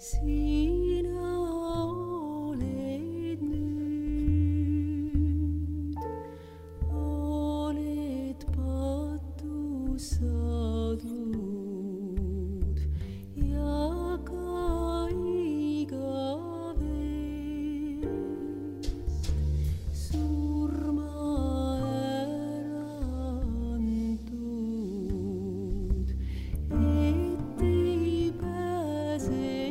Sina oled nüüd, oled patu saadud ja ka igavest surma ära antud, et ei pääse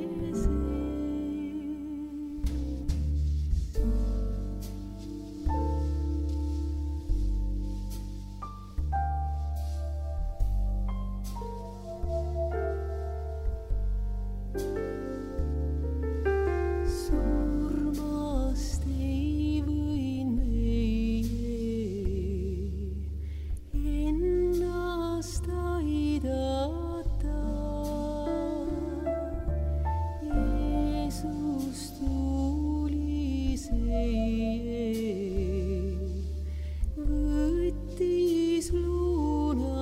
surmast ei võin meie ennast aidata. Jeesus tuli see, võttis lunasta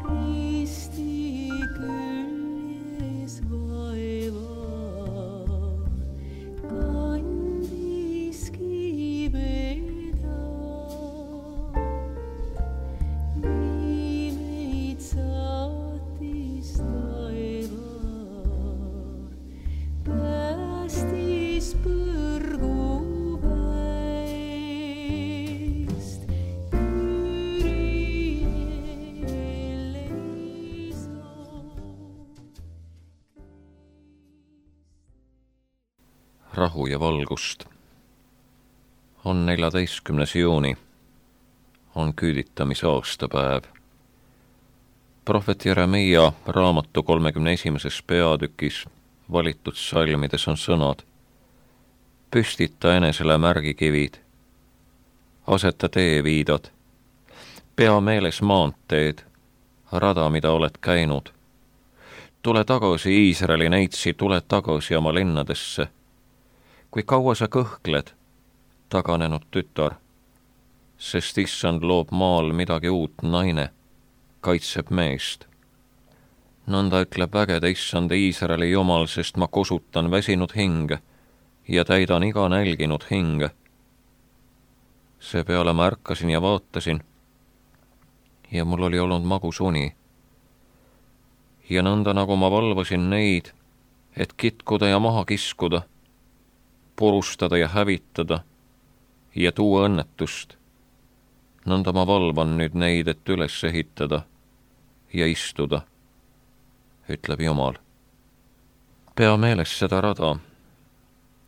risti küljes vaeva, kandiski meda, nii meid saatis taeva, päästis põrguväest, Küriel eleison. Rahu ja valgust. On 14. juuni, on küüditamise aastapäev. Prohvet Jeremia raamatu 31. peatükis valitud salmides on sõnad: püstita enesele märgikivid, aseta teeviidad, pea meeles maanteed, rada, mida oled käinud. Tule tagasi, Iisraeli neitsi, tule tagasi oma linnadesse. Kui kaua sa kõhkled, taganenud tütar, sest issand loob maal midagi uut, naine kaitseb meest. Nõnda ütleb vägede issand Iisraeli Jumal, sest ma kosutan väsinud hinge ja täidan iga nälginud hinge. Seepeale ma ärkasin ja vaatasin ja mul oli olnud magus uni. Ja nõnda nagu ma valvasin neid, et kitkuda ja maha kiskuda, purustada ja hävitada ja tuua õnnetust. Nõnda ma valvan nüüd neid, et üles ehitada ja istuda, ütleb Jumal. Pea meeles seda rada,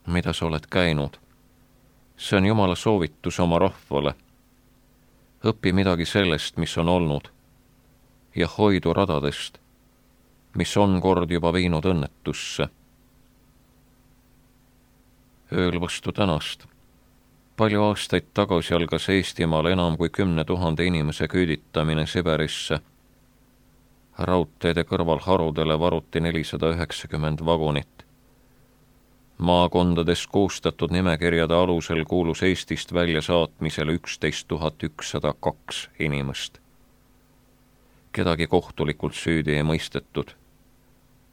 mida sa oled käinud. See on Jumala soovitus oma rahvale. Õpi midagi sellest, mis on olnud, ja hoidu radadest, mis on kord juba viinud õnnetusse. Ööl vastu tänast. Palju aastaid tagasi algas Eestimaal enam kui 10 000 inimese küüditamine Siberisse. Raudteede kõrval harudele varuti 490 vagunit. Maakondades koostatud nimekirjade alusel kuulus Eestist välja saatmisele 11 102 inimest. Kedagi kohtulikult süüdi ei mõistetud.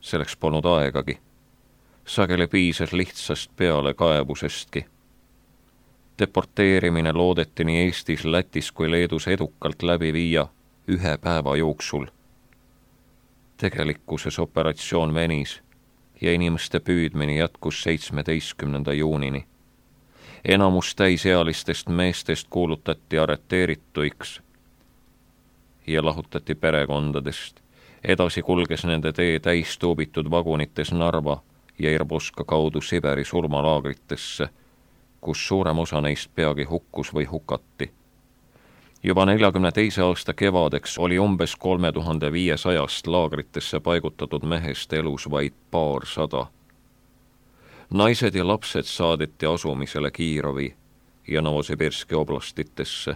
Selleks polnud aegagi. Sageli piisas lihtsast pealekaebusestki. Deporteerimine loodeti nii Eestis, Lätis kui Leedus edukalt läbi viia 1 päeva jooksul. Tegelikkuses operatsioon venis ja inimeste püüdmine jätkus 17. juunini. Enamus täisealistest meestest kuulutati arreteerituiks ja lahutati perekondadest. Edasi kulges nende tee täistuubitud vagunites Narva ja Irboska kaudu Siberi surmalaagritesse, kus suurem osa neist peagi hukkus või hukati. Juba 42. aasta kevadeks oli umbes 3500 laagritesse paigutatud mehest elus vaid paarsada. Naised ja lapsed saadeti asumisele Kiirovi ja Novosibirski oblastitesse.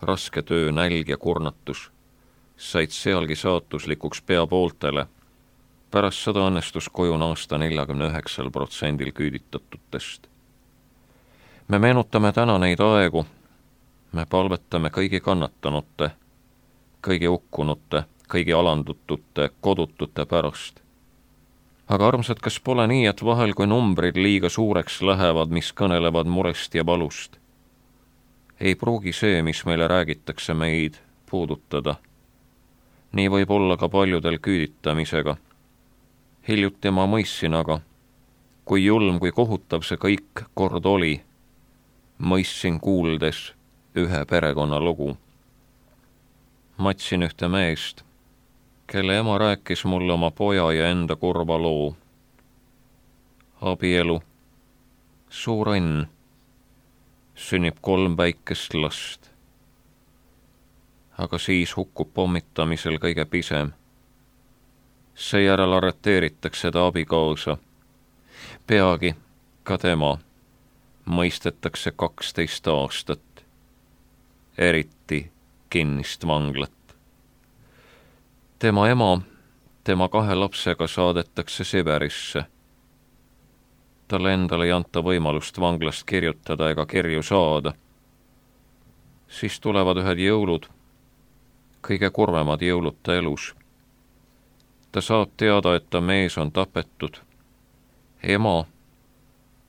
Raske töö, nälg ja kurnatus said sealgi saatuslikuks pea pooltele. Pärast seda õnnestus koju naasta 49% küüditatutest. Me meenutame täna neid aegu, me palvetame kõigi kannatanute, kõigi hukkunute, kõigi alandutute, kodutute pärast. Aga armsad, kas pole nii, et vahel, kui numbrid liiga suureks lähevad, mis kõnelevad murest ja valust, ei pruugi see, mis meile räägitakse, meid puudutada. Nii võib olla ka paljudel küüditamisega. Hiljuti ma mõistsin aga, kui julm, kui kohutav see kõik kord oli, mõistsin kuuldes ühe perekonna lugu. Matsin ühte meest, kelle ema rääkis mulle oma poja ja enda kurva loo. Abielu, suur õnn, sünnib 3 väikest last. Aga siis hukkub pommitamisel kõige pisem. Seejärel arreteeritakse ta abikaasa. Peagi ka tema mõistetakse 12 aastat, eriti kinnist vanglat. Tema ema, tema 2 lapsega saadetakse Siberisse. Talle endale ei anta võimalust vanglast kirjutada ega kirju saada. Siis tulevad ühed jõulud, kõige kurvemad jõulud ta elus. Ta saab teada, et ta mees on tapetud. Ema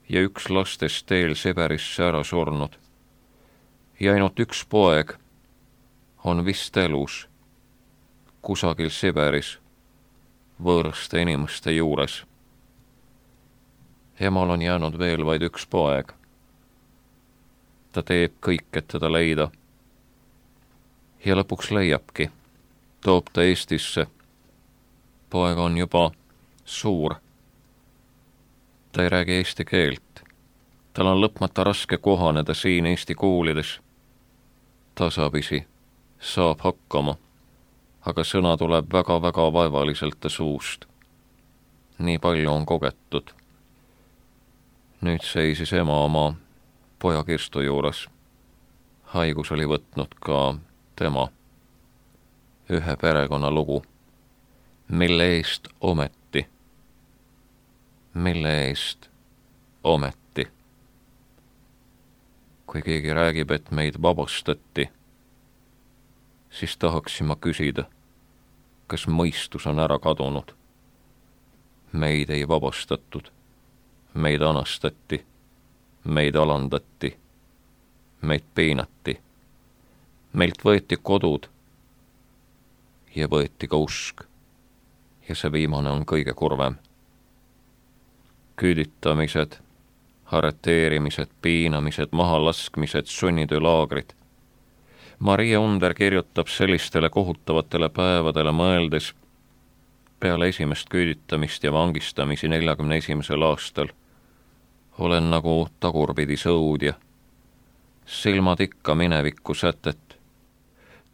ja 1 lastest teel Siberisse ära surnud. Ja ainult 1 poeg on vist elus, kusagil Siberis, võõraste inimeste juures. Emal on jäänud veel vaid 1 poeg. Ta teeb kõik, et teda leida. Ja lõpuks leiabki, toob ta Eestisse. Poeg on juba suur. Ta ei räägi eesti keelt. Tal on lõpmata raske kohaneda siin Eesti koolides. Tasapisi saab hakkama, aga sõna tuleb väga-väga vaevaliselt ta suust. Nii palju on kogetud. Nüüd seisis ema oma poja kirstu juures. Haigus oli võtnud ka tema. Ühe perekonna lugu. Mille eest ometi? Mille eest ometi? Kui keegi räägib, et meid vabastati, siis tahaksin ma küsida, kas mõistus on ära kadunud. Meid ei vabastatud, meid anastati, meid alandati, meid piinati, meilt võeti kodud ja võeti ka usk. Ja see viimane on kõige kurvem. Küüditamised, arreteerimised, piinamised, mahalaskmised, sunnitöölaagrid. Maria Under kirjutab sellistele kohutavatele päevadele mõeldes peale esimest küüditamist ja vangistamisi 41. aastal. Olen nagu tagurpidi sõudja. Silmad ikka minevikku sätet.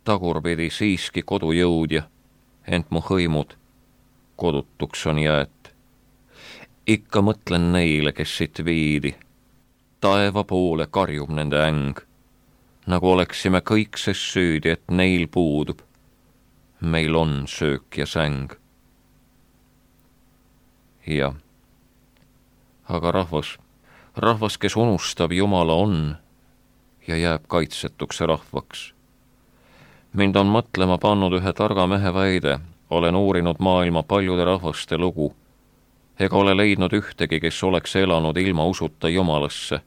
Tagurpidi siiski kodujõudja, ent mu hõimud kodutuks on jäet. Ikka mõtlen neile, kes siit viidi. Taeva poole karjub nende äng, nagu oleksime kõik ses süüdi, et neil puudub. Meil on söök ja säng. Jah, aga rahvas, kes unustab Jumala on ja jääb kaitsetuks rahvaks. Mind on mõtlema pannud ühe targa mehe väide. Olen uurinud maailma paljude rahvaste lugu, ega ole leidnud ühtegi, kes oleks elanud ilma usuta Jumalasse.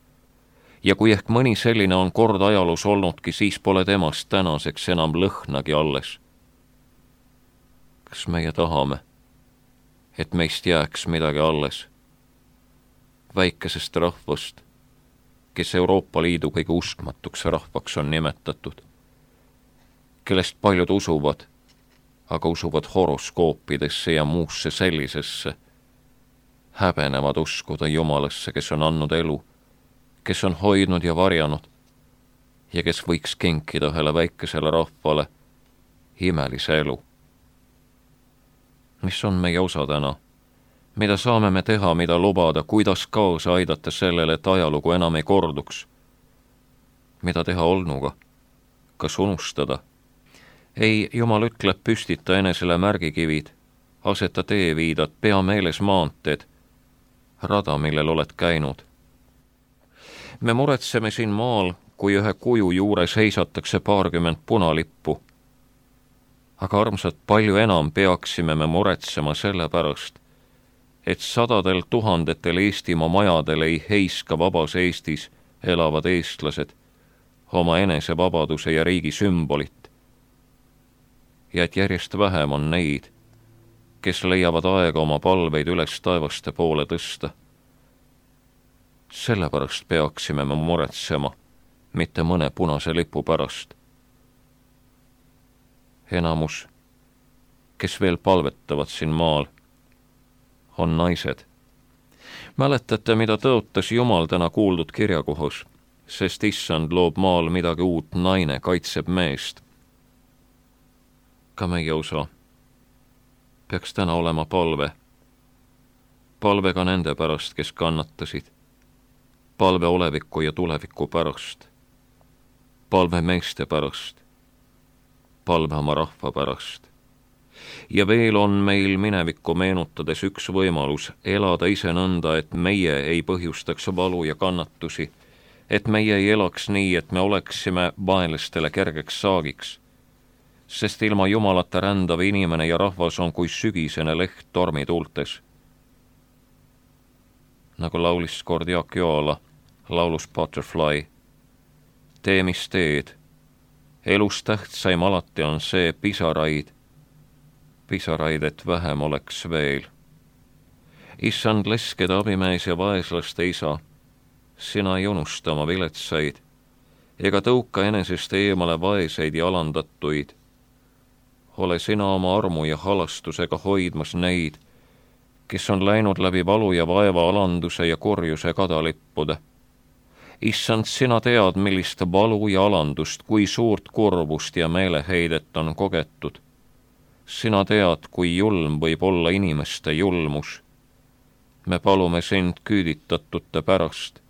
Ja kui ehk mõni selline on kord ajaloos olnudki, siis pole temast tänaseks enam lõhnagi alles. Kas meie tahame, et meist jääks midagi alles? Väikesest rahvast, kes Euroopa Liidu kõige uskmatuks rahvaks on nimetatud, kellest paljud usuvad, aga usuvad horoskoopidesse ja muusse sellisesse, häbenevad uskuda Jumalasse, kes on andnud elu, kes on hoidnud ja varjanud ja kes võiks kinkida ühele väikesele rahvale imelise elu. Mis on meie osa täna? Mida saame me teha, mida lubada, kuidas kaasa aidata sellele, et ajalugu enam ei korduks? Mida teha olnuga? Kas unustada? Ei, Jumal ütleb, püstita enesele märgikivid, aseta teeviidad, pea meeles maanteed, rada, millel oled käinud. Me muretseme siin maal, kui ühe kuju juures heisatakse 20 punalippu. Aga armsad, palju enam peaksime me muretsema selle pärast, et 100 000 Eestimaa majadel ei heiska vabas Eestis elavad eestlased oma enesevabaduse ja riigi sümbolit. Ja et järjest vähem on neid, kes leiavad aega oma palveid üles taevaste poole tõsta. Sellepärast peaksime me muretsema, mitte mõne punase lipu pärast. Enamus, kes veel palvetavad siin maal, on naised. Mäletate, mida tõotas Jumal täna kuuldud kirjakohas, sest issand loob maal midagi uut, naine kaitseb meest. Ka meie osa peaks täna olema palve. Palve ka nende pärast, kes kannatasid. Palve oleviku ja tuleviku pärast. Palve meeste pärast. Palve oma rahva pärast. Ja veel on meil minevikku meenutades üks võimalus elada ise nõnda, et meie ei põhjustaks valu ja kannatusi, et meie ei elaks nii, et me oleksime vaenlastele kergeks saagiks, sest ilma Jumalata rändav inimene ja rahvas on kui sügisene leht tormituultes. Nagu laulis kord Jaak Joala laulus Butterfly, tee mis teed, elus tähtsaim alati on see pisaraid, et vähem oleks veel. Issand leskede abimees ja vaeslaste isa, sina ei unusta oma viletsaid, ega tõuka enesest eemale vaeseid ja alandatuid. Ole sina oma armu ja halastusega hoidmas neid, kes on läinud läbi valu ja vaeva alanduse ja korjuse kadalippude. Issand, sina tead, millist valu ja alandust, kui suurt kurbust ja meeleheidet on kogetud. Sina tead, kui julm võib olla inimeste julmus. Me palume sind küüditatute pärast,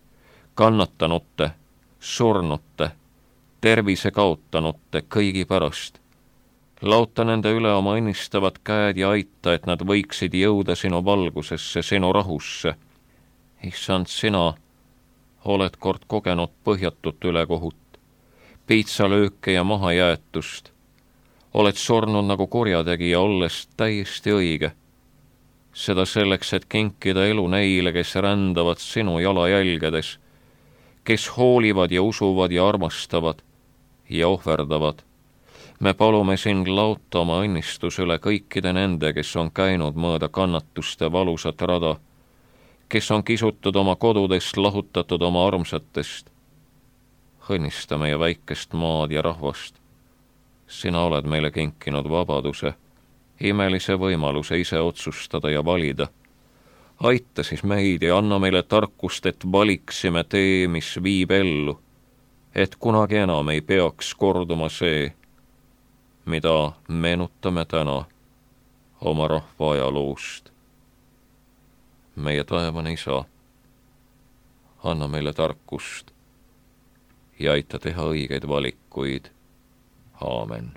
kannatanute, surnute, tervise kaotanute, kõigi pärast. Lauta nende üle oma õnnistavad käed ja aita, et nad võiksid jõuda sinu valgusesse, sinu rahusse. Issand, sina oled kord kogenud põhjatut ülekohut, piitsalööke ja mahajäetust. Oled surnud nagu kurjategija, olles täiesti õige. Seda selleks, et kinkida elu neile, kes rändavad sinu jalajälgedes, kes hoolivad ja usuvad ja armastavad ja ohverdavad. Me palume sind lauta oma õnnistus üle kõikide nende, kes on käinud mööda kannatuste valusat rada, kes on kisutud oma kodudest, lahutatud oma armsatest. Õnnista meie väikest maad ja rahvast. Sina oled meile kinkinud vabaduse, imelise võimaluse ise otsustada ja valida. Aita siis meid ja anna meile tarkust, et valiksime tee, mis viib ellu, et kunagi enam ei peaks korduma see, mida meenutame täna oma rahva ajaloost. Meie taevane isa, anna meile tarkust ja aita teha õigeid valikuid. Aamen.